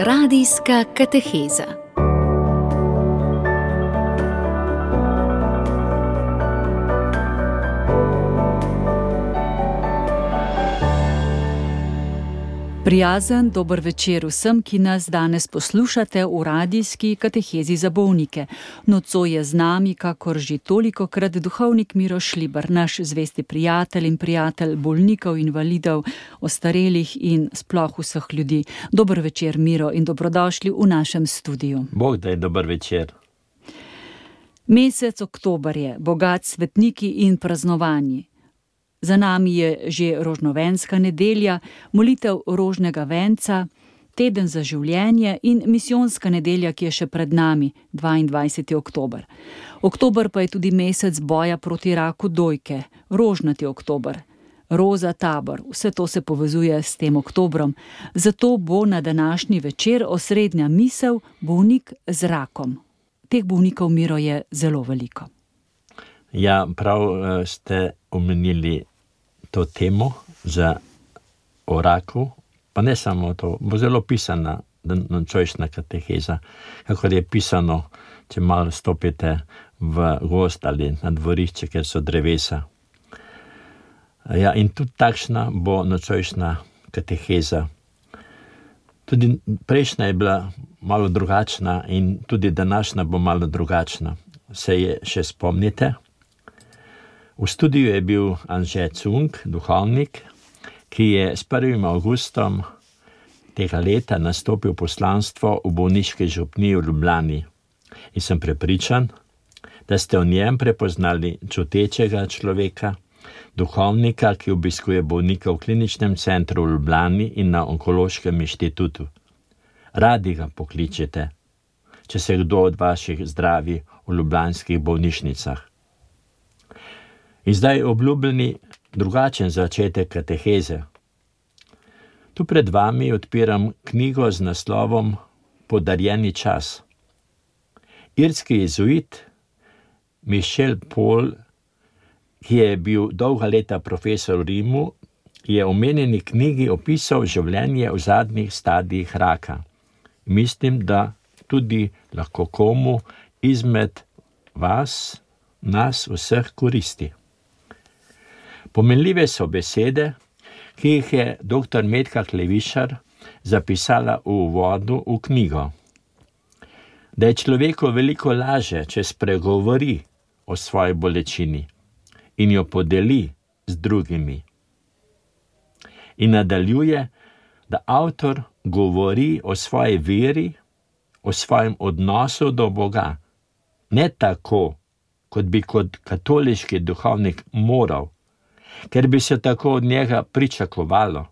Radijska kateheza. Prijazen dober večer vsem, ki nas danes poslušate v radijski katehezi za bolnike. Nocoj je z nami, kakor že tolikokrat, duhovnik Miro Šlibar, naš zvesti prijatelj in prijatelj bolnikov, invalidov, ostarelih in sploh vseh ljudi. Dober večer, Miro, in dobrodošli v našem studiu. Bog daj, dober večer. Mesec oktober je, bogat s svetniki in praznovanji. Za nami je že rožnovenska nedelja, molitev rožnega venca, teden za življenje in misijonska nedelja, ki je še pred nami, 22. oktober. Oktober pa je tudi mesec boja proti raku dojke, rožnati oktober, roza tabor, vse to se povezuje s tem oktobrom. Zato bo na današnji večer osrednja misel bolnik z rakom. Teh bolnikov, Miro, je zelo veliko. Ja, prav ste omenili to temo o raku, pa ne samo to, bo zelo pisana nocojšnja kateheza, kakor je pisano, če malo stopite v gozd ali na dvorišče, kjer so drevesa. Ja, in tudi takšna bo nocojšnja kateheza. Tudi prejšnja je bila malo drugačna in tudi današnja bo malo drugačna. Se je še spomnite? V studiu je bil Anže Cunk, duhovnik, ki je s 1. avgustom tega leta nastopil poslanstvo v bolniški župniji v Ljubljani. In sem prepričan, da ste v njem prepoznali čutečega človeka, duhovnika, ki obiskuje bolnika v kliničnem centru v Ljubljani in na onkološkem inštitutu. Radi ga pokličete, če se kdo od vaših zdravi v ljubljanskih bolnišnicah. In zdaj obljubljeni drugačen začetek kateheze. Tu pred vami odpiram knjigo z naslovom Podarjeni čas. Irski jezuit Michel Paul, ki je bil dolga leta profesor v Rimu, je v omenjeni knjigi opisal življenje v zadnjih stadijih raka. Mislim, da tudi lahko komu izmed nas vseh koristi. Pomenljive so besede, ki jih je dr. Metka Klevišar zapisala v uvodu v knjigo. Da je človeku veliko laže, če spregovori o svoji bolečini in jo podeli z drugimi. In nadaljuje, da avtor govori o svoji veri, o svojem odnosu do Boga, ne tako, kot bi kot katoliški duhovnik moral, ker bi se tako od njega pričakovalo,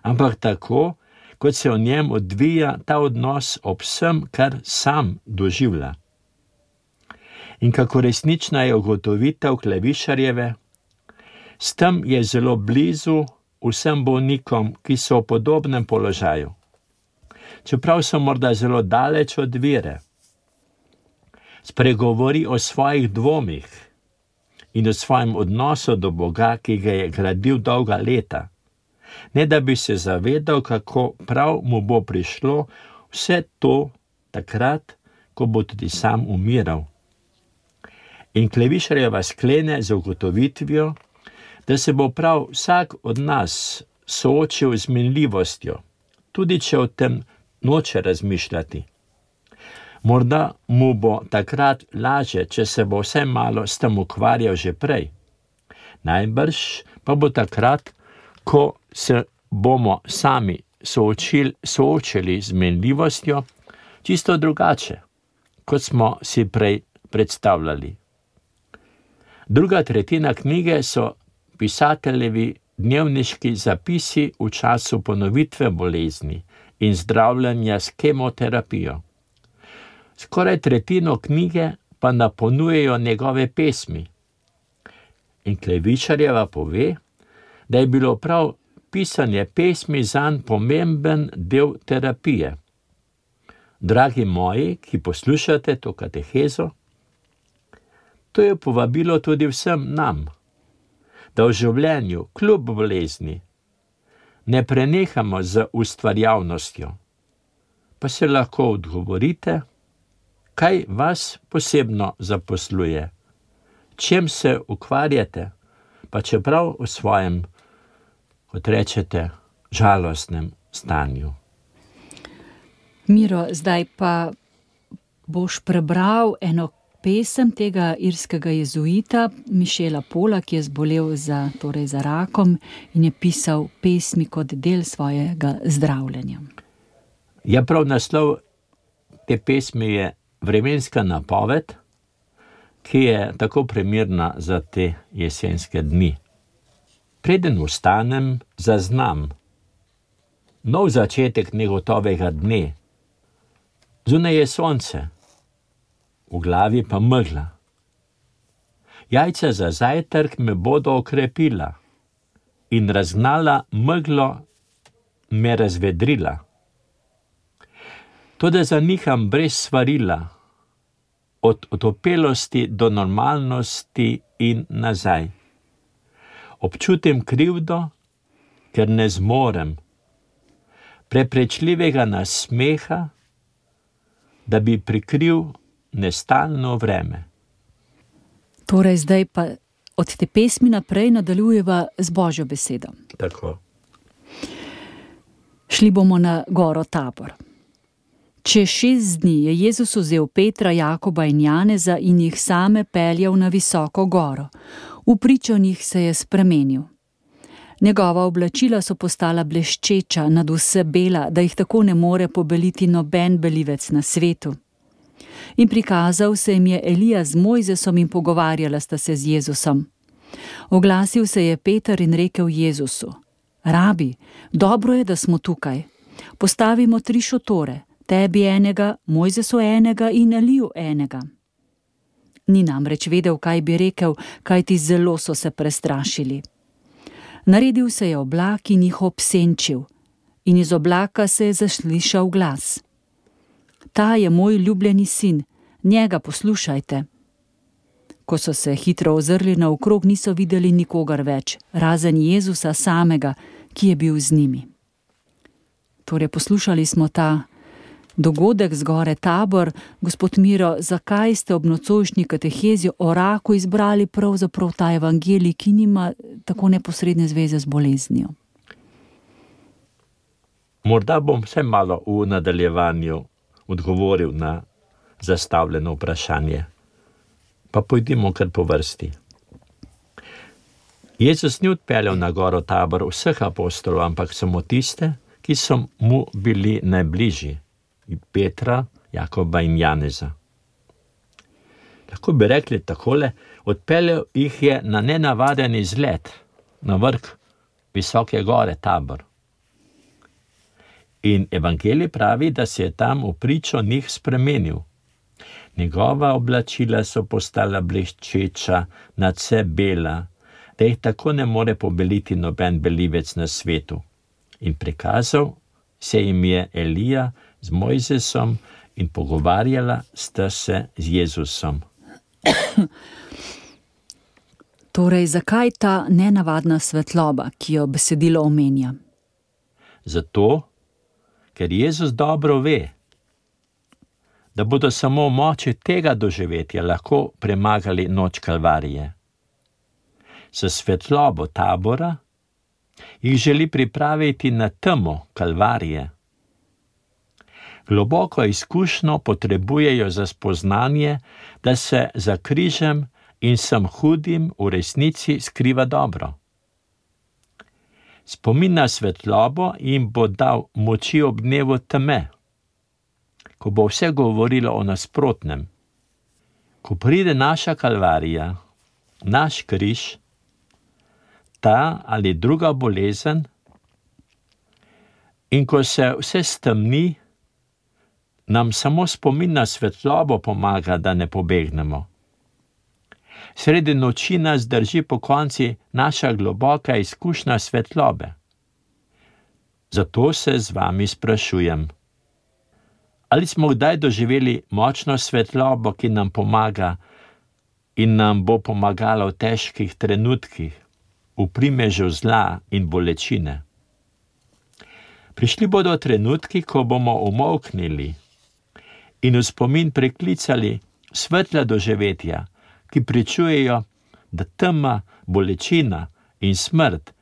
ampak tako, kot se v njem odvija ta odnos ob vsem, kar sam doživlja. In kako resnična je ugotovitev Klevišarjeve, s tem je zelo blizu vsem bolnikom, ki so v podobnem položaju. Čeprav so morda zelo daleč od vere, spregovori o svojih dvomih in o svojem odnosu do Boga, ki ga je gradil dolga leta, ne da bi se zavedal, kako prav mu bo prišlo vse to takrat, ko bo tudi sam umiral. In Klevišarjeva sklene z ugotovitvijo, da se bo prav vsak od nas soočil z minljivostjo, tudi če o tem noče razmišljati. Morda mu bo takrat lažje, če se bo vse malo s tem ukvarjal že prej. Najbrž pa bo takrat, ko se bomo sami soočili z minljivostjo, čisto drugače, kot smo si prej predstavljali. Druga tretjina knjige so pisateljevi dnevniški zapisi v času ponovitve bolezni in zdravljenja s kemoterapijo. Skoraj tretjino knjige pa napolnjujejo njegove pesmi. In Klevišarjeva pove, da je bilo prav pisanje pesmi zanj pomemben del terapije. Dragi moji, ki poslušate to katehezo, to je povabilo tudi vsem nam, da v življenju, kljub bolezni, ne prenehamo z ustvarjalnostjo, pa se lahko odgovorite, kaj vas posebno zaposluje, čem se ukvarjate, pa čeprav v svojem, kot rečete, žalostnem stanju. Miro, zdaj pa boš prebral eno pesem tega irskega jezuita Michela Pola, ki je zbolel za rakom in je pisal pesmi kot del svojega zdravljenja. Ja, prav naslov te pesmi je Vremenska napoved, ki je tako primerna za te jesenske dni. Preden vstanem, zaznam nov začetek negotovega dne. Zunaj je sonce, v glavi pa megla. Jajca za zajtrk me bodo okrepila in razgnala meglo me razvedrila. Toda zaniham brez svarila, od otopelosti do normalnosti in nazaj. Občutim krivdo, ker ne zmorem preprečljivega nasmeha, da bi prikril nestalno vreme. Torej zdaj pa od te pesmi naprej nadaljujeva z Božjo besedo. Tako. Šli bomo na goro Tabor. Čez 6 dni je Jezus vzel Petra, Jakoba in Janeza in jih same peljal na visoko goro. V pričo njih se je spremenil. Njegova oblačila so postala bleščeča, nadvse bela, da jih tako ne more pobeliti noben belivec na svetu. In prikazal se jim je Elija z Mojzesom in pogovarjala sta se z Jezusom. Oglasil se je Peter in rekel Jezusu: Rabi, dobro je, da smo tukaj. Postavimo 3 šotore, tebi enega, Mojzesu enega in Eliju enega. Ni namreč vedel, kaj bi rekel, kajti zelo so se prestrašili. Naredil se je oblak in jih obsenčil, in iz oblaka se je zaslišal glas: Ta je moj ljubljeni sin, njega poslušajte. Ko so se hitro ozrli naokrog, niso videli nikogar več, razen Jezusa samega, ki je bil z njimi. Torej, poslušali smo ta dogodek z gore Tabor. Gospod Miro, zakaj ste ob nocojšnji katehezi o raku izbrali pravzaprav ta evangelij, ki nima tako neposredne zveze z boleznijo? Morda bom vse malo v nadaljevanju odgovoril na zastavljeno vprašanje. Pa pojdimo kar po vrsti. Jezus ni odpeljal na goro Tabor vseh apostolov, ampak samo tiste, ki so mu bili najbližji. Petra, Jakoba in Janeza. Lahko bi rekli takole, odpeljal jih je na nenavaden izlet, na vrh visoke gore Tabor. In evangelij pravi, da se je tam v pričo njih spremenil. Njegova oblačila so postala bleščeča, nadvse bela, da jih tako ne more pobeliti noben belivec na svetu. In prikazal se jim je Elija z Mojzesom in pogovarjala sta se z Jezusom. Torej, zakaj ta nenavadna svetloba, ki jo besedilo omenja? Zato, ker Jezus dobro ve, da bodo samo v moči tega doživetja lahko premagali noč Kalvarije. S svetlobo Tabora jih želi pripraviti na temo Kalvarije. Globoko izkušnjo potrebujejo za spoznanje, da se za križem in vsem hudim v resnici skriva dobro. Spomin na svetlobo jim bo dal moči ob dnevu teme, ko bo vse govorilo o nasprotnem. Ko pride naša Kalvarija, naš križ, ta ali druga bolezen, in ko se vse stemni, nam samo spomin na svetlobo pomaga, da ne pobegnemo. Sredi noči nas drži pokonci naša globoka izkušnja svetlobe. Zato se z vami sprašujem, ali smo kdaj doživeli močno svetlobo, ki nam pomaga in nam bo pomagala v težkih trenutkih, v primežu zla in bolečine. Prišli bodo trenutki, ko bomo umolknili in v spomin priklicali svetla doživetja, ki pričujejo, da tema, bolečina in smrt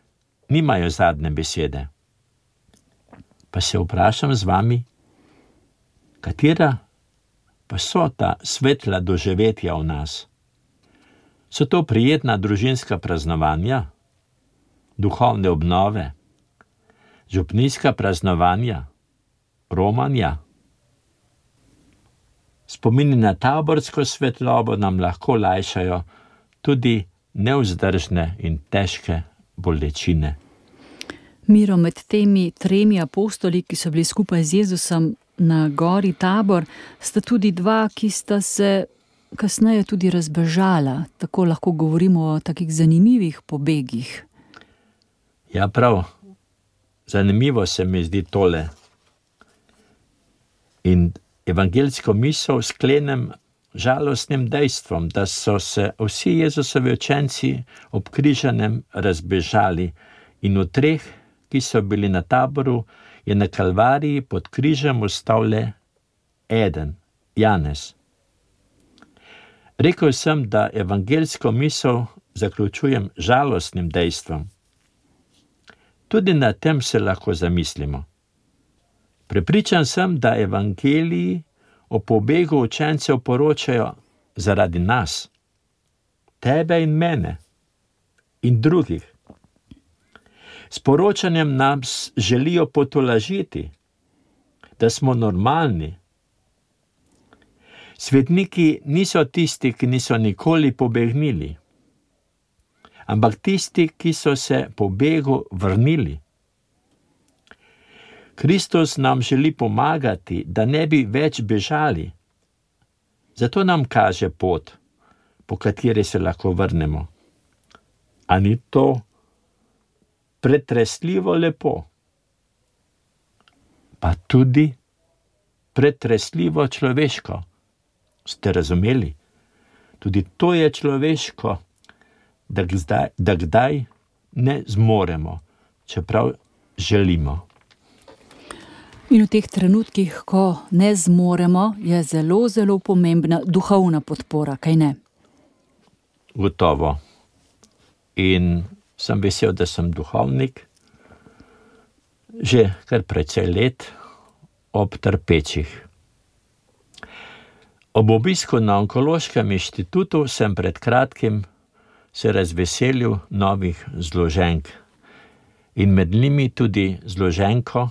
nimajo zadnje besede. Pa se vprašam z vami, katera pa so ta svetla doživetja v nas? So to prijetna družinska praznovanja, duhovne obnove, župnijska praznovanja, romanja? Spomini na taborsko svetlobo nam lahko lajšajo tudi nevzdržne in težke bolečine. Miro, med temi 3 apostoli, ki so bili skupaj z Jezusom na gori Tabor, sta tudi 2, ki sta se kasneje tudi razbežala. Tako lahko govorimo o takih zanimivih pobegih. Ja, prav. Zanimivo se mi zdi tole. In evangeljsko misel sklenem žalostnim dejstvom, da so se vsi Jezusovi učenci ob križanem razbežali in v 3, ki so bili na Taboru, je na Kalvariji pod križem ostal le eden, Janez. Rekel sem, da evangeljsko misel zaključujem žalostnim dejstvom. Tudi na tem se lahko zamislimo. Prepričan sem, da evangeliji o pobegu učencev poročajo zaradi nas, tebe in mene in drugih. S poročanjem nas želijo potolažiti, da smo normalni. Svetniki niso tisti, ki niso nikoli pobegnili, ampak tisti, ki so se po begu vrnili. Kristus nam želi pomagati, da ne bi več bežali. Zato nam kaže pot, po kateri se lahko vrnemo. A ni to pretresljivo lepo? Pa tudi pretresljivo človeško. Ste razumeli? Tudi to je človeško, da kdaj ne zmoremo, čeprav želimo. In v teh trenutkih, ko ne zmoremo, je zelo, zelo pomembna duhovna podpora, kaj ne? Gotovo. In sem vesel, da sem duhovnik že kar precej let ob trpečih. Ob obisku na Onkološkem inštitutu sem pred kratkim se razveselil novih zloženk in med njimi tudi zloženko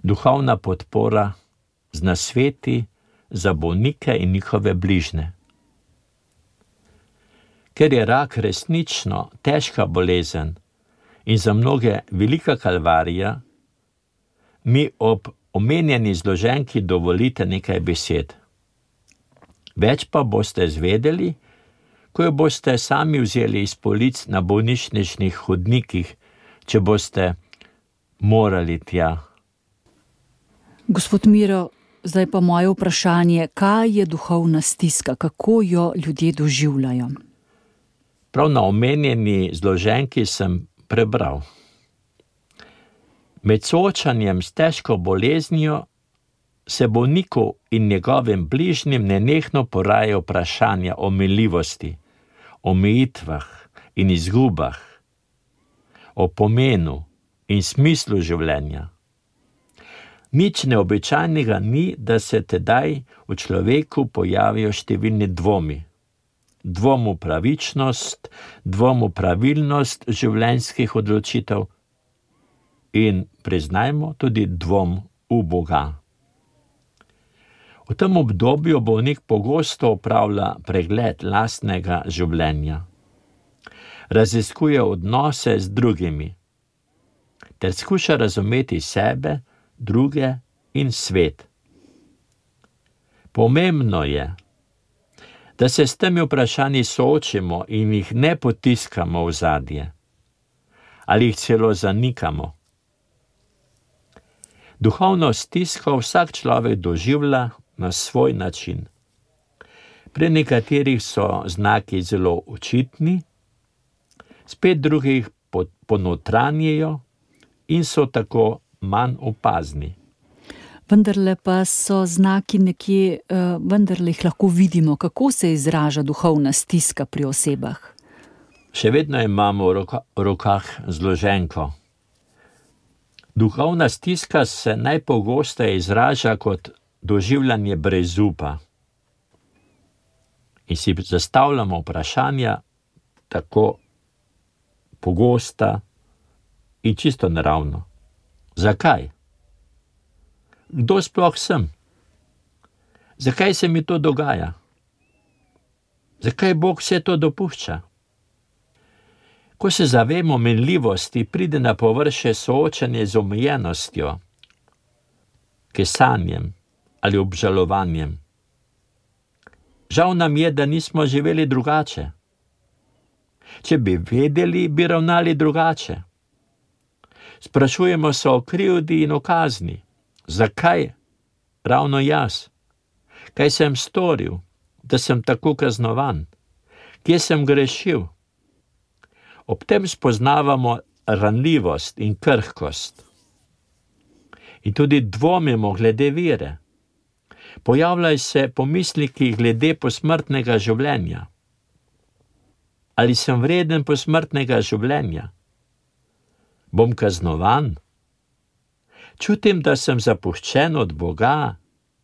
duhovna podpora z nasveti za bolnike in njihove bližne. Ker je rak resnično težka bolezen in za mnoge velika kalvarija, mi ob omenjeni zloženki dovolite nekaj besed. Več pa boste zvedeli, ko jo boste sami vzeli iz polic na bolnišničnih hodnikih, če boste morali tja. Gospod Miro, zdaj pa moje vprašanje, kaj je duhovna stiska, kako jo ljudje doživljajo? Prav na omenjeni zloženki sem prebral. Med soočanjem s težko boleznijo se bolniku in njegovim bližnjim nenehno porajajo vprašanja o minljivosti, omejitvah in izgubah, o pomenu in smislu življenja. Nič neobičajnega ni, da se tedaj v človeku pojavijo številni dvomi. Dvom v pravičnost, dvom v pravilnost življenjskih odločitev in, priznajmo, tudi dvom v Boga. V tem obdobju bolnik pogosto opravlja pregled lastnega življenja. Raziskuje odnose z drugimi ter skuša razumeti sebe, druge in svet. Pomembno je, da se s temi vprašanji soočimo in jih ne potiskamo v zadje ali jih celo zanikamo. Duhovno stisko vsak človek doživlja na svoj način. Pri nekaterih so znaki zelo očitni, spet drugih ponotranjejo in so tako manj opazni. Vendarle pa so znaki nekje, vendarle jih lahko vidimo, kako se izraža duhovna stiska pri osebah. Še vedno imamo v rokah zloženko. Duhovna stiska se najpogosteje izraža kot doživljanje brezupa. In si zastavljamo vprašanja tako pogosta in čisto naravno. Zakaj? Kdo sploh sem? Zakaj se mi to dogaja? Zakaj Bog vse to dopušča? Ko se zavemo minljivosti, pride na površje soočanje z omejenostjo, kesanjem ali obžalovanjem. Žal nam je, da nismo živeli drugače. Če bi vedeli, bi ravnali drugače. Sprašujemo se o krivdi in o kazni. Zakaj ravno jaz? Kaj sem storil, da sem tako kaznovan? Kje sem grešil? Ob tem spoznavamo ranljivost in krhkost. In tudi dvomimo glede vere. Pojavljajo se pomisleki glede posmrtnega življenja. Ali sem vreden posmrtnega življenja? Bom kaznovan? Čutim, da sem zapuščen od Boga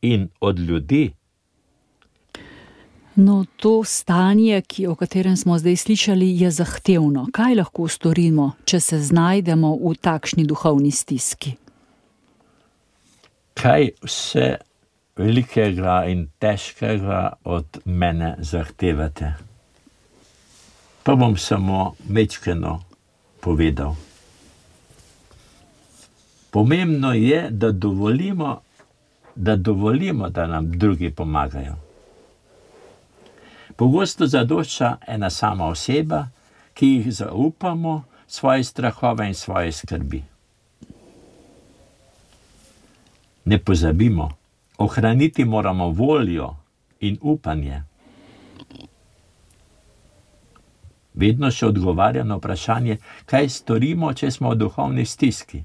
in od ljudi. No, to stanje, o katerem smo zdaj slišali, je zahtevno. Kaj lahko storimo, če se znajdemo v takšni duhovni stiski? Kaj vse velikega in težkega od mene zahtevate? Pa bom samo majčkeno povedal. Pomembno je, da dovolimo, da nam drugi pomagajo. Pogosto zadošča ena sama oseba, ki jih zaupamo svoje strahove in svoje skrbi. Ne pozabimo, ohraniti moramo voljo in upanje. Vedno še odgovarja na vprašanje, kaj storimo, če smo v duhovni stiski.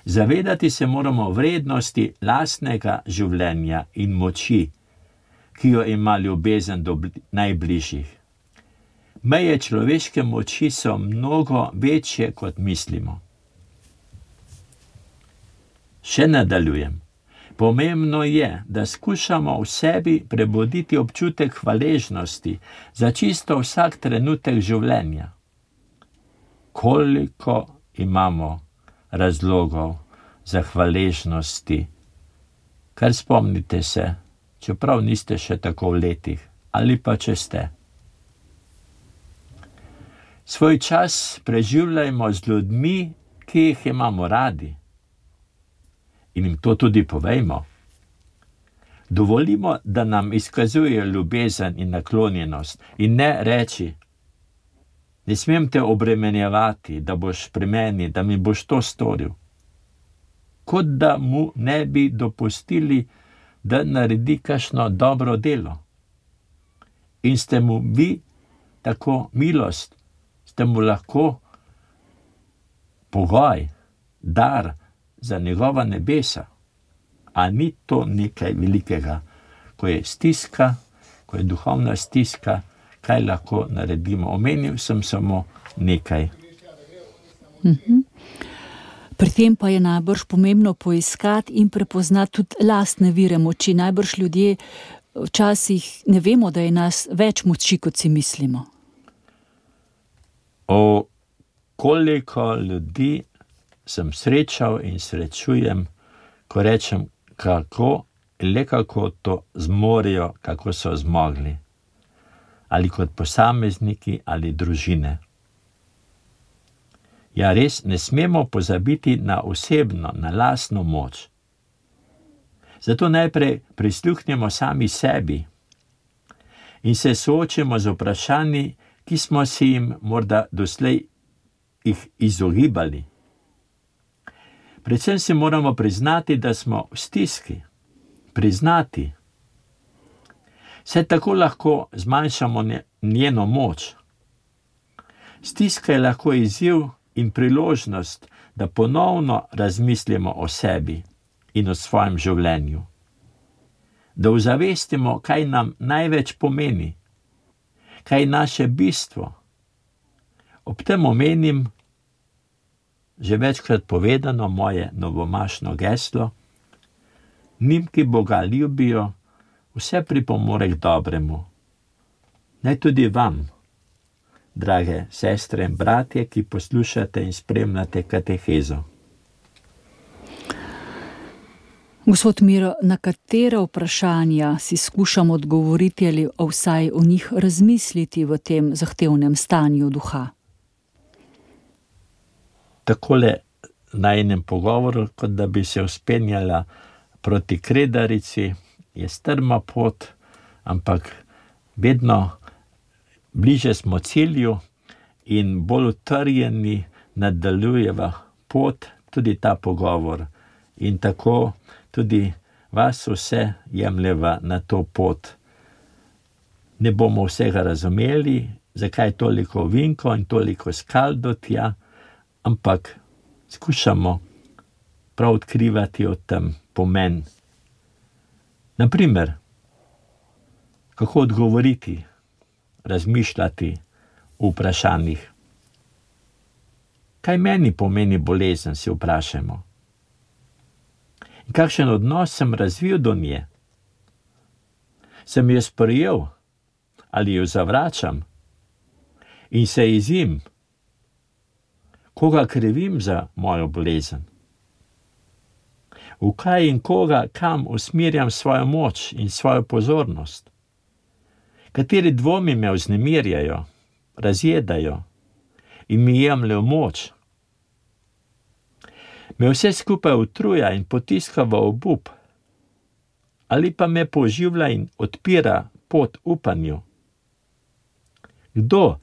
Zavedati se moramo vrednosti lastnega življenja in moči, ki jo ima ljubezen do najbližjih. Meje človeške moči so mnogo večje, kot mislimo. Še nadaljujem. Pomembno je, da skušamo v sebi prebuditi občutek hvaležnosti za čisto vsak trenutek življenja. Koliko imamo razlogov za hvaležnosti, kar spomnite se, čeprav niste še tako v letih, ali pa če ste. Svoj čas preživljajmo z ljudmi, ki jih imamo radi. In jim to tudi povejmo. Dovolimo, da nam izkazujejo ljubezen in naklonjenost in ne reči, ne smem te obremenjevati, da boš pri meni, da mi boš to storil. Kot da mu ne bi dopustili, da naredi kakšno dobro delo. In ste mu vi tako milost, ste mu lahko pogoj, dar za njegova nebesa. A ni to nekaj velikega, ko je stiska, ko je duhovna stiska, kaj lahko naredimo? Omenil sem samo nekaj. Pri tem pa je najbrž pomembno poiskati in prepoznati tudi lastne vire moči. Najbrž ljudje včasih ne vemo, da je nas več moči, kot si mislimo. O koliko ljudi sem srečal in srečujem, ko rečem, kako to zmorejo, kako so zmogli. Ali kot posamezniki ali družine. Ja, res ne smemo pozabiti na osebno, na lastno moč. Zato najprej prisluhnemo sami sebi in se soočimo z vprašanji, ki smo si jim morda doslej jih izogibali. Predvsem si moramo priznati, da smo v stiski. Priznati. Saj tako lahko zmanjšamo njeno moč. Stiska je lahko izziv in priložnost, da ponovno razmislimo o sebi in o svojem življenju. Da ozavestimo, kaj nam največ pomeni, kaj je naše bistvo. Ob tem omenim že večkrat povedano moje novomašno geslo: njim, ki Boga ljubijo, vse pripomore k dobremu. Naj tudi vam, drage sestre in bratje, ki poslušate in spremljate katehezo. Gospod Miro, na katera vprašanja si skušamo odgovoriti ali vsaj o njih razmisliti v tem zahtevnem stanju duha? Takole na enem pogovoru, kot da bi se vzpenjala proti Kredarici, je strma pot, ampak vedno bliže smo cilju in bolj utrjeni nadaljujeva pot, tudi ta pogovor. In tako tudi vas vse jemljeva na to pot. Ne bomo vsega razumeli, zakaj toliko ovinkov in toliko skal do tja, ampak skušamo prav odkrivati o tem pomen. Naprimer, kako odgovoriti, razmišljati v vprašanjih. Kaj meni pomeni bolezen, si vprašamo. In kakšen odnos sem razvil do nje? Sem jo sprejel ali jo zavračam? In se jezim? Koga krivim za mojo bolezen? V kaj in koga, kam usmerjam svojo moč in svojo pozornost? Kateri dvomi me vznemirjajo, razjedajo in mi jemljejo moč? Me vse skupaj utruja in potiska v obup, ali pa me poživlja in odpira pot upanju? Kdo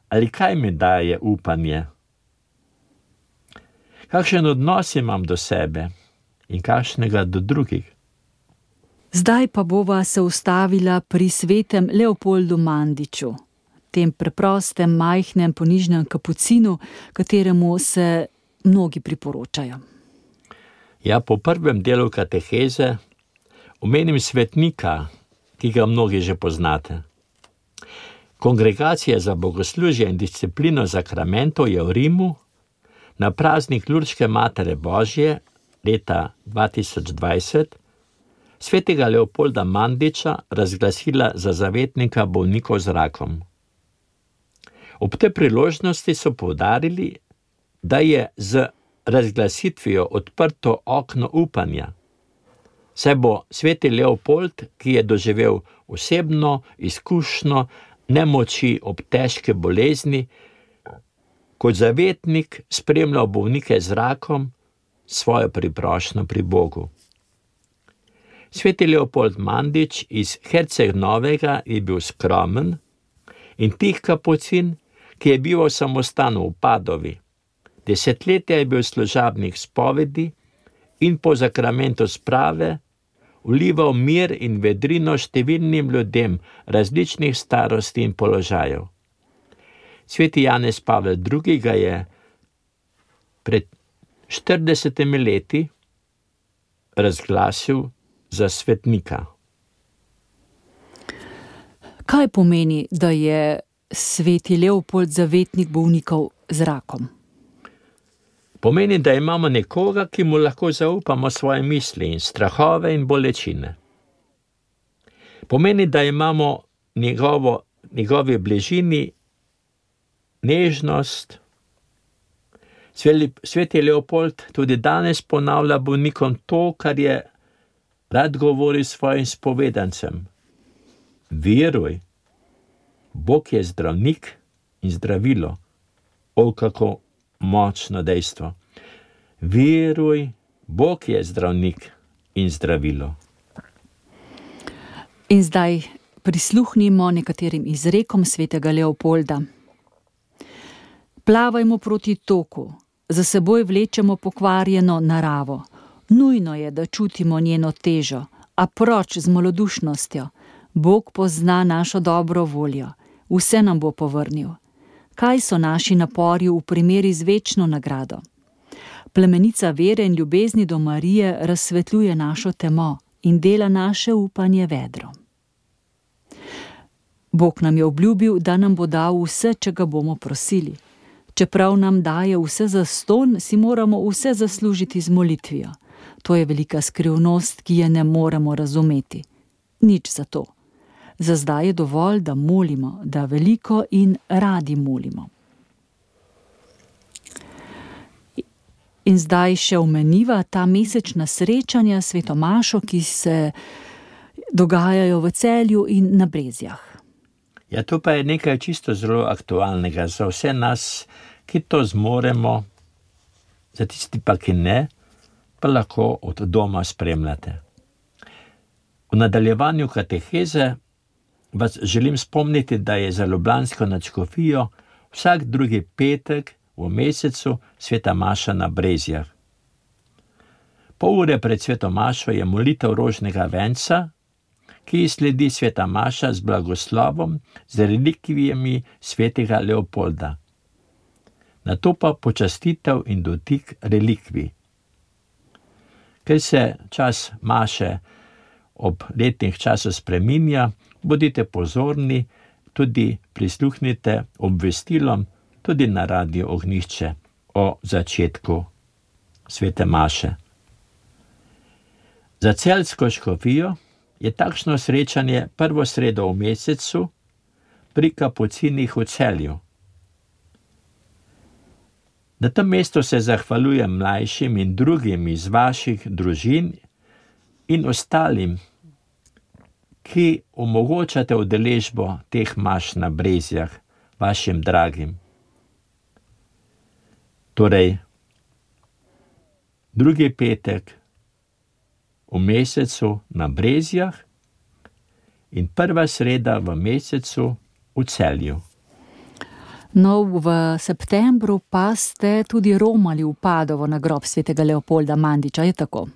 ali kaj mi daje upanje? Kakšen odnos imam do sebe in kakšnega do drugih? Zdaj pa bova se ustavila pri svetem Leopoldu Mandiču, tem preprostem, majhnem, ponižnem kapucinu, kateremu se mnogi priporočajo. Ja, po prvem delu kateheze omenim svetnika, ki ga mnogi že poznate. Kongregacija za bogoslužje in disciplino zakramentov je v Rimu na praznik Lurdske Matere Božje leta 2020 svetega Leopolda Mandiča razglasila za zavetnika bolnikov z rakom. Ob tej priložnosti so poudarili, da je z razglasitvijo odprto okno upanja, saj bo sveti Leopold, ki je doživel osebno izkušnjo nemoči ob težke bolezni, kot zavetnik spremljal bolnike z rakom svojo priprošnjo pri Bogu. Sveti Leopold Mandič iz Herceg-Novega je bil skromen in tih kapucin, ki je bival samostanu v Padovi. Desetletja je bil služabnik spovedi in po zakramentu sprave vlival mir in vedrino številnim ljudem različnih starosti in položajev. Sveti Janez Pavel II. Ga je pred 40 leti razglasil za svetnika. Kaj pomeni, da je sveti Leopold zavetnik bolnikov z rakom? Pomeni, da imamo nekoga, ki mu lahko zaupamo svoje misli in strahove in bolečine. Pomeni, da imamo njegovi bližini nežnost. Sveti Leopold tudi danes ponavlja bolnikom to, kar je rad govori svojim spovedancem. Veruj, Bog je zdravnik in zdravilo. O, kako močno dejstvo. Veruj, Bog je zdravnik in zdravilo. In zdaj prisluhnimo nekaterim izrekom svetega Leopolda. Plavajmo proti toku, za seboj vlečemo pokvarjeno naravo. Nujno je, da čutimo njeno težo, a proč z malodušnostjo. Bog pozna našo dobro voljo, vse nam bo povrnil. Kaj so naši napori v primeri z večno nagrado? Plemenica vere in ljubezni do Marije razsvetljuje našo temo in dela naše upanje vedro. Bog nam je obljubil, da nam bo dal vse, če ga bomo prosili. Čeprav nam daje vse zastonj, si moramo vse zaslužiti z molitvijo. To je velika skrivnost, ki je ne moremo razumeti. Nič za to. Za zdaj je dovolj, da molimo, da veliko in radi molimo. In zdaj še omeniva ta mesečna srečanja s Sveto Mašo, ki se dogajajo v Celju in na Brezjah. Ja, to pa je nekaj čisto zelo aktualnega za vse nas, ki to zmoremo, za tisti pa, ki ne, pa lahko od doma spremljate. V nadaljevanju kateheze vas želim spomniti, da je za ljubljansko nadškofijo vsak drugi petek v mesecu Sveta Maša na Brezjah. Pol ure pred Sveto Mašo je molitev rožnega venca, ki sledi Sveta Maša z blagoslovom, z relikvijami svetega Leopolda. Nato pa počastitev in dotik relikvij. Ker se čas Maše ob letnih času spreminja, bodite pozorni, tudi prisluhnite obvestilom, tudi na Radiu Ognjišče o začetku Svete Maše. Za celjsko škofijo je takšno srečanje prvo sredo v mesecu pri kapucinih v Celju. Na tem mestu se zahvaljujem mlajšim in drugim iz vaših družin in ostalim, ki omogočate udeležbo teh maš na Brezjah, vašim dragim. Torej, drugi petek v mesecu na Brezjah in prva sreda v mesecu v Celju. No, v septembru pa ste tudi romali v Padovo na grob svetega Leopolda Mandiča, je tako?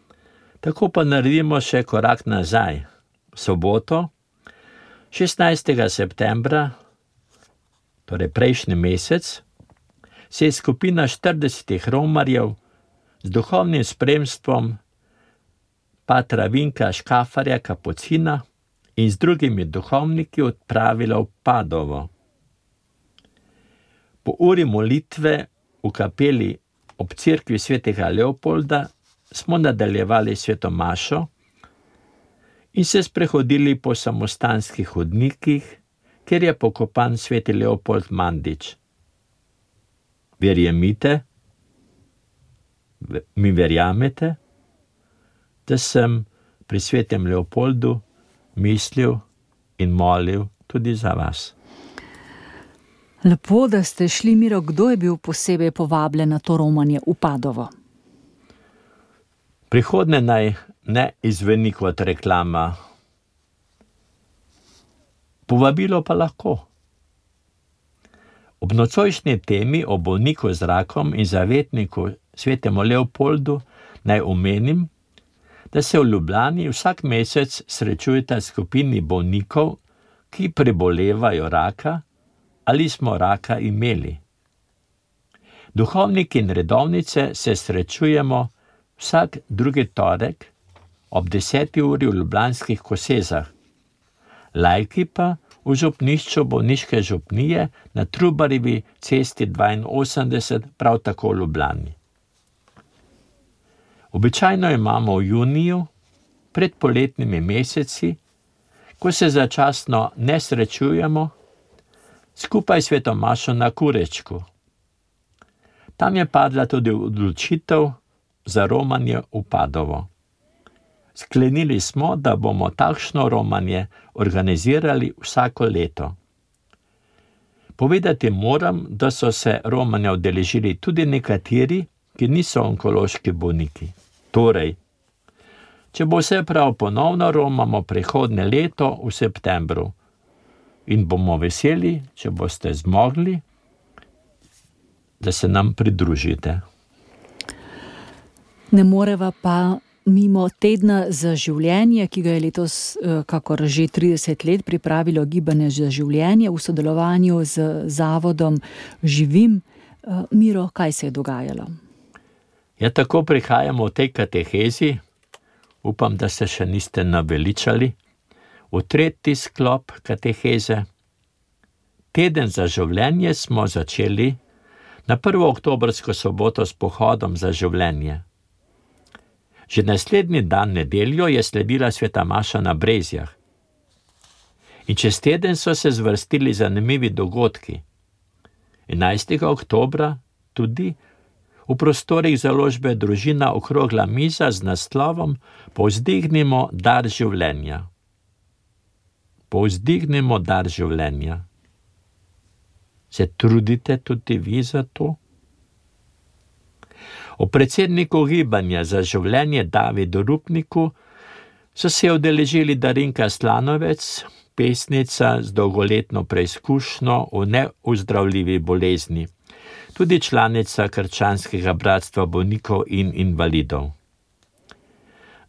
Tako pa naredimo še korak nazaj. V soboto, 16. septembra, torej prejšnji mesec, se je skupina 40 romarjev z duhovnim spremstvom patra Vinka Škafarja Kapucina in z drugimi duhovniki odpravila v Padovo. Po uri molitve v kapeli ob cerkvi svetega Leopolda smo nadaljevali Sveto Mašo in se sprehodili po samostanskih hodnikih, kjer je pokopan sveti Leopold Mandič. Mi verjamete, da sem pri svetem Leopoldu mislil in molil tudi za vas. Lepo, da ste šli, Miro. Kdo je bil posebej povabljen na to romanje v Padovo? Prihodnje naj ne izveni kot reklama. Povabilo pa lahko. Ob nocojšnji temi o bolniku z rakom in zavetniku svetemu Leopoldu naj omenim, da se v Ljubljani vsak mesec srečujeta skupini bolnikov, ki prebolevajo raka ali smo raka imeli. Duhovniki in redovnice se srečujemo vsak drugi torek ob 10. uri v ljubljanskih Kosezah. Laiki pa v župnišču bolniške župnije na Trubarjevi cesti 82, prav tako v Ljubljani. Običajno imamo v juniju, pred poletnimi meseci, ko se začasno ne srečujemo, skupaj Sveto Mašo na Kurečku. Tam je padla tudi odločitev za romanje v Padovo. Sklenili smo, da bomo takšno romanje organizirali vsako leto. Povedati moram, da so se romanja udeležili tudi nekateri, ki niso onkološki bolniki. Torej, če bo vse prav, ponovno romamo prihodnje leto v septembru in bomo veseli, če boste zmogli, da se nam pridružite. Ne moreva pa mimo tedna za življenje, ki ga je letos, kakor že 30 let, pripravilo Gibanje za življenje v sodelovanju z zavodom Živim. Miro, kaj se je dogajalo? Ja, tako prihajamo v tej katehezi, upam, da se še niste naveličali, v tretji sklop kateheze. Teden za življenje smo začeli na 1. oktobrsko soboto s pohodom za življenje. Že naslednji dan, nedeljo, je sledila sveta maša na Brezjah. In čez teden so se zvrstili zanimivi dogodki. 11. oktobra tudi v prostorih založbe Družina okrogla miza z naslovom Povzdignimo dar življenja. Povzdignimo dar življenja. Se trudite tudi vi za to? O predsedniku gibanja za življenje Davidu Rupniku so se udeležili Darinka Slanovec, pesnica z dolgoletno preizkušnjo v neuzdravljivi bolezni, tudi članica Krščanskega bratstva bolnikov in invalidov.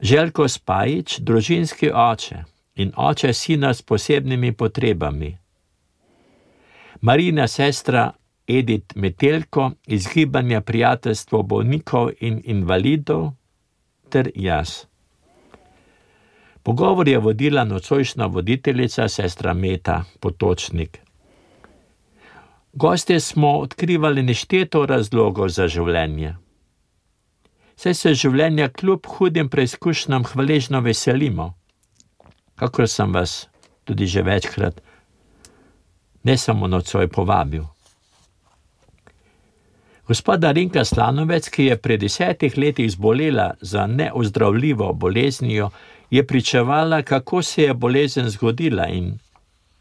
Željko Spajić, družinski oče in oče sina s posebnimi potrebami. Marina sestra Edith Metelko iz gibanja Prijateljstvo bolnikov in invalidov ter jaz. Pogovor je vodila nocojšnja voditeljica sestra Meta Potočnik. Gostje smo odkrivali nešteto razlogov za življenje. Saj se življenja kljub hudim preizkušnjam hvaležno veselimo, kakor sem vas tudi že večkrat, ne samo nocoj povabil. Gospa Darinka Slanovec, ki je pred 10 letih zbolela za neozdravljivo boleznijo, je pričevala, kako se je bolezen zgodila in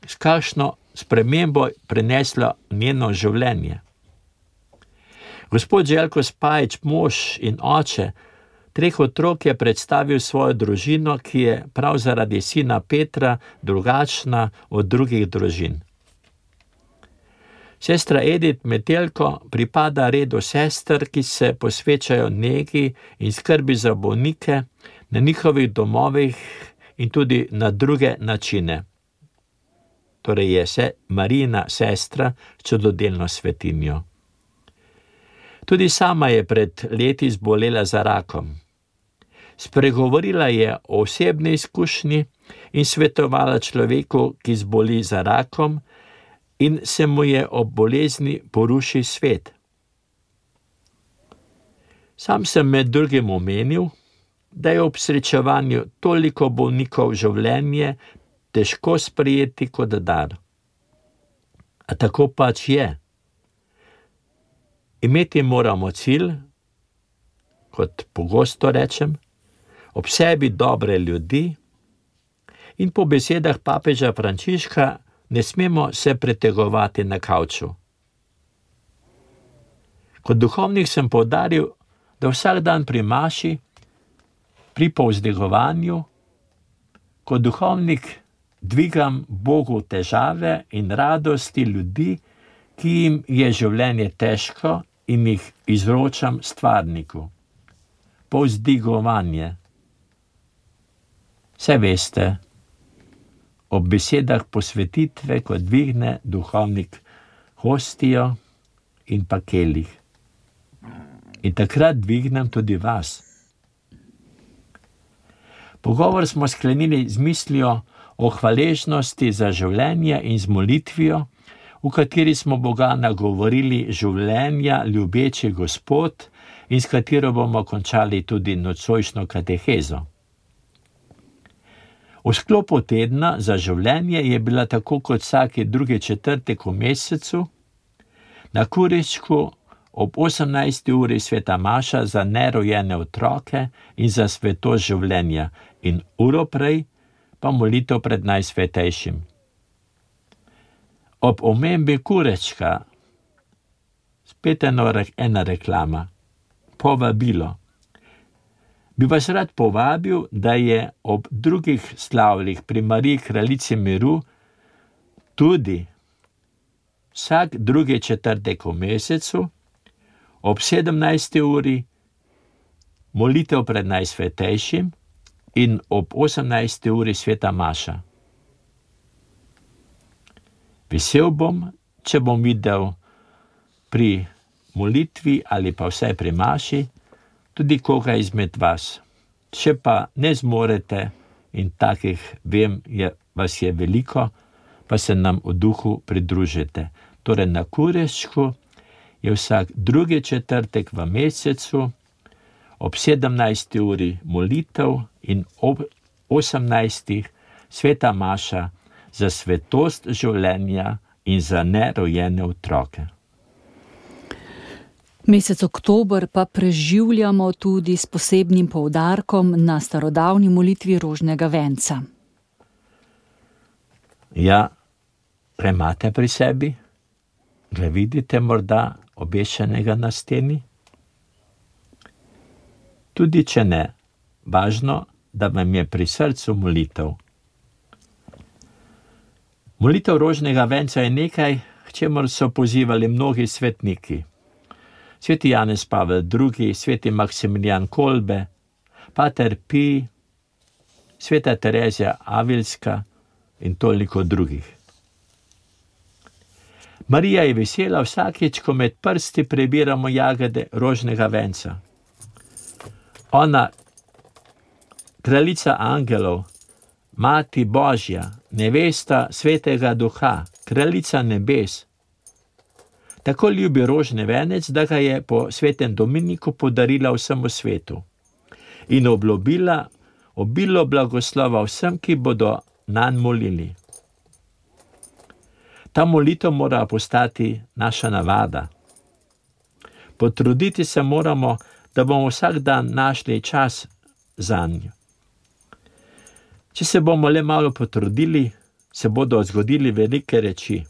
s kakšno spremembo prenesla njeno življenje. Gospod Željko Spajić, mož in oče 3 otrok, je predstavil svojo družino, ki je prav zaradi sina Petra drugačna od drugih družin. Sestra Edith Metelko pripada redu sester, ki se posvečajo negi in skrbi za bolnike na njihovih domovih in tudi na druge načine. Torej je Marina sestra s čudodelno svetinjo. Tudi sama je pred leti zbolela za rakom. Spregovorila je o osebni izkušnji in svetovala človeku, ki zboli za rakom, in se mu je ob bolezni poruši svet. Sam sem med drugim omenil, da je ob srečevanju toliko bolnikov življenje težko sprejeti kot dar. A tako pač je. Imeti moramo cilj, kot pogosto rečem, ob sebi dobre ljudi in po besedah papeža Frančiška ne smemo se pretegovati na kavču. Kot duhovnik sem poudaril, da vsak dan pri maši, pri povzdigovanju, kot duhovnik dvigam Bogu težave in radosti ljudi, ki jim je življenje težko in jih izročam stvarniku. Povzdigovanje. Saj veste, ob besedah posvetitve, ko dvigne duhovnik hostijo in pa kelih. In takrat dvignem tudi vas. Pogovor smo sklenili z mislijo o hvaležnosti za življenje in z molitvijo, v kateri smo Boga nagovorili življenja ljubeči Gospod in s katero bomo končali tudi nocojšnjo katehezo. V sklopu tedna za življenje je bila tako kot vsaki drugi četrtek v mesecu na Kuričku ob 18. uri sveta maša za nerojene otroke in za svetost življenja in uro prej pa molitev pred Najsvetejšim. Ob omembi Kurečka, spet ena reklama, povabilo. Bi vas rad povabil, da je ob drugih slavljih pri Mariji Kraljici miru tudi vsak drugi četrtek v mesecu ob 17. uri molitev pred Najsvetejšim in ob 18. uri sveta maša. Vesel bom, če bom videl pri molitvi ali pa vsaj pri maši tudi koga izmed vas. Če pa ne zmorete, in takih vem, vas je veliko, pa se nam v duhu pridružite. Torej na Kurešku je vsak drugi četrtek v mesecu, ob 17. uri molitev in ob 18. sveta maša za svetost življenja in za nerojene otroke. Mesec oktober pa preživljamo tudi s posebnim poudarkom na starodavni molitvi rožnega venca. Ja, kaj imate pri sebi? Ga vidite morda obešenega na steni? Tudi če ne, važno, da vam je pri srcu molitev. Molitev rožnega venca je nekaj, k čemur so pozivali mnogi svetniki. Sveti Janez Pavel II, sveti Maksimilijan Kolbe, pater Pij, sveta Terezija Avilska in toliko drugih. Marija je vesela vsakič, ko med prsti prebiramo jagode rožnega venca. Ona, kraljica angelov, Mati Božja, nevesta svetega duha, kraljica nebes, tako ljubi rožni venec, da ga je po svetem Dominiku podarila vsemu svetu in obljubila obilo blagoslova vsem, ki bodo nanj molili. Ta molitev mora postati naša navada. Potruditi se moramo, da bomo vsak dan našli čas zanjo. Če se bomo le malo potrudili, se bodo zgodili velike reči.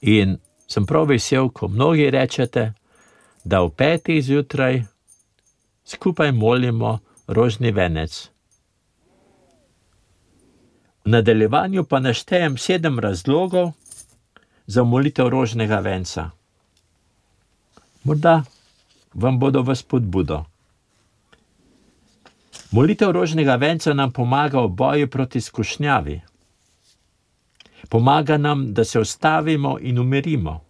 In sem prav vesel, ko mnogi rečete, da v 5. zjutraj skupaj molimo rožni venec. V nadaljevanju pa naštejem 7 razlogov za molitev rožnega venca. Morda vam bodo v spodbudo. Molitev rožnega venca nam pomaga v boju proti skušnjavi. Pomaga nam, da se ustavimo in umirimo.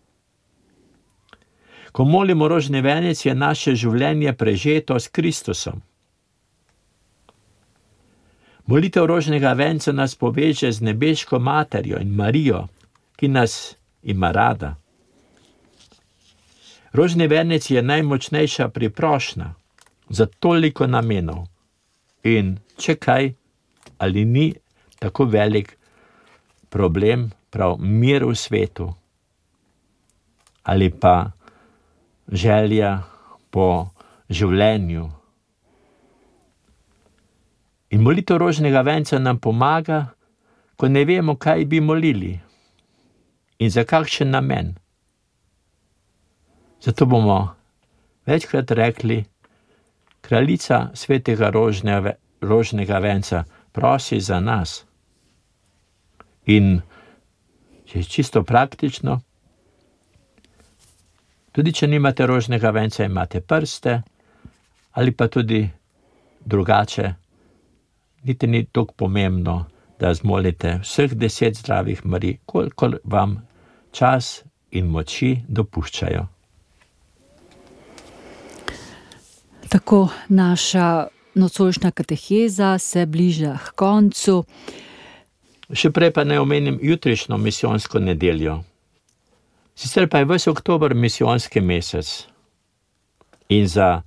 Ko molimo rožni venec, je naše življenje prežeto s Kristusom. Molitev rožnega venca nas poveže z nebeško materjo in Marijo, ki nas ima rada. Rožni venec je najmočnejša priprošnja za toliko namenov. In če kaj, ali ni tako velik problem prav mir v svetu, ali pa želja po življenju. In molitev rožnega venca nam pomaga, ko ne vemo, kaj bi molili in za kakšen namen. Zato bomo večkrat rekli, kraljica svetega rožnega venca, prosi za nas. In če je čisto praktično, tudi če nimate rožnega venca, imate prste, ali pa tudi drugače, niti ni toliko pomembno, da zmolite vseh 10 zdravih Marij, kolikor vam čas in moči dopuščajo. Tako naša nocojšnja kateheza se bliža k koncu. Še prej pa naj omenim jutrišnjo misijonsko nedeljo. Sicer pa je ves oktober misijonski mesec. In za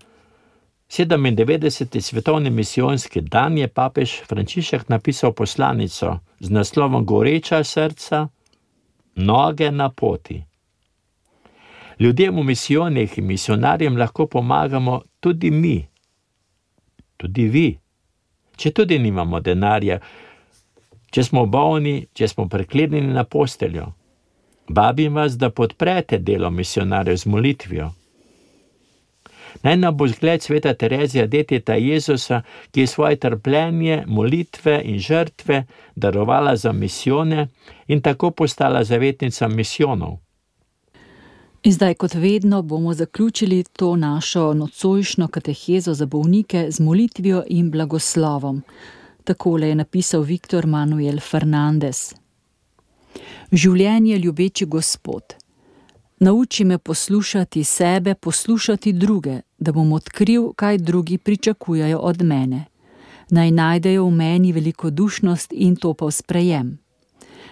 97. svetovni misijonski dan je papež Frančišek napisal poslanico z naslovom Goreča srca, noge na poti. Ljudem v misijonih in misionarjem lahko pomagamo tudi mi, tudi vi, če tudi nimamo denarja, če smo bolni, če smo priklenjeni na posteljo. Vabim vas, da podprete delo misionarjev z molitvijo. Naj nam bo zgled sveta Terezija, deteta Jezusa, ki je svoje trpljenje, molitve in žrtve darovala za misijone in tako postala zavetnica misijonov. In zdaj, kot vedno, bomo zaključili to našo nocojšnjo katehezo za bolnike z molitvijo in blagoslovom. Takole je napisal Viktor Manuel Fernandez. Življenje ljubeči Gospod, Nauči me poslušati sebe, poslušati druge, da bom odkril, kaj drugi pričakujejo od mene. Naj najdejo v meni velikodušnost in to pa v sprejem.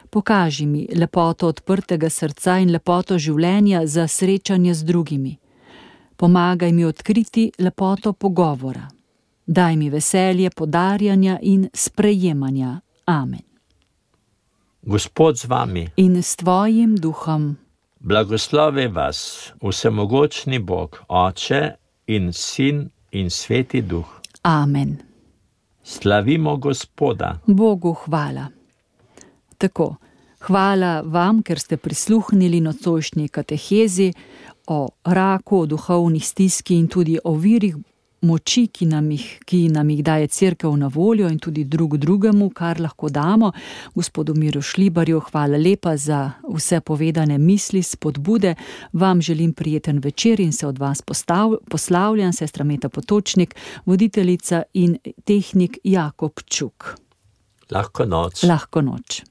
Pokaži mi lepoto odprtega srca in lepoto življenja za srečanje z drugimi. Pomagaj mi odkriti lepoto pogovora. Daj mi veselje podarjanja in sprejemanja. Amen. Gospod z vami. In s tvojim duhom. Blagoslovi vas vsemogočni Bog, Oče in Sin in Sveti Duh. Amen. Slavimo Gospoda. Bogu hvala. Tako, hvala vam, ker ste prisluhnili nocojšnji katehezi o raku, o duhovni stiski in tudi o virih moči, ki nam jih daje Cerkev na voljo in tudi drugemu, kar lahko damo. Gospodu Miru Šlibarju, hvala lepa za vse povedane misli, spodbude. Vam želim prijeten večer in se od vas poslavljam, sestra Meta Potočnik, voditeljica in tehnik Jakob Čuk. Lahko noč. Lahko noč.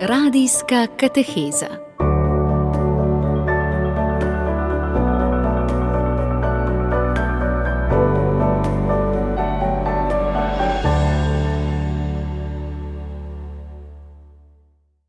Radijska kateheza.